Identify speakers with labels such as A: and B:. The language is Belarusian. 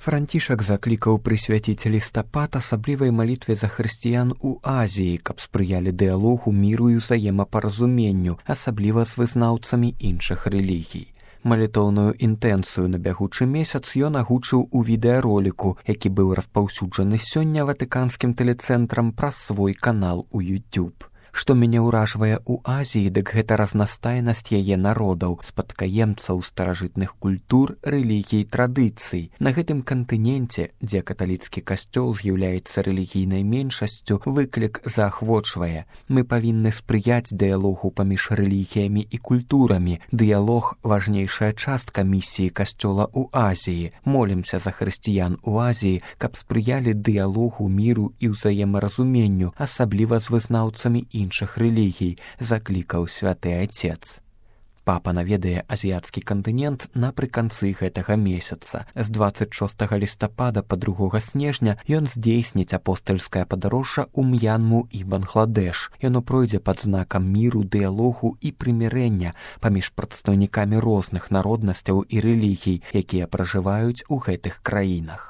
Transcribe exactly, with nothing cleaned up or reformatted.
A: Францішак заклікаў прысвяціць лістапад асаблівай малітве за хрысціян у Азіі, каб спрыялі дыялогу, міру і ўзаемапаразуменню, асабліва з вызнаўцамі іншых рэлігій. Малітоўную інтэнцыю на бягучы месяц ён агучыў у відэароліку, які быў распаўсюджаны сёння ватыканскім тэлецэнтрам праз свой канал у YouTube. Што мяне ўражвае ў Азіі, дык гэта разнастайнасць яе народаў, спадкаемцаў старажытных культур, рэлігій, традыцый. На гэтым кантыненце, дзе каталіцкі касцёл з'яўляецца рэлігійнай меншасцю, выклік заахвочвае. Мы павінны спрыяць дыялогу паміж рэлігіямі і культурамі. Дыялог – важнейшая частка місіі касцёла ў Азіі. Молімся за хрысціян у Азіі, каб спрыялі дыялогу, міру і ўзаемаразуменню, асабліва з вызнаўцамі іншых рэлігій, заклікаў святы Айцец. Папа наведае азіяцкі кантынент напрыканцы гэтага месяца. З дваццаць шостага лістапада па другога снежня ён здзейсніць апостальскае падарожжа ў М'янму і Бангладэш. Яно пройдзе пад знакам міру, дыялогу і прымірэння паміж прадстаўнікамі розных народнасцяў і рэлігій, якія пражываюць у гэтых краінах.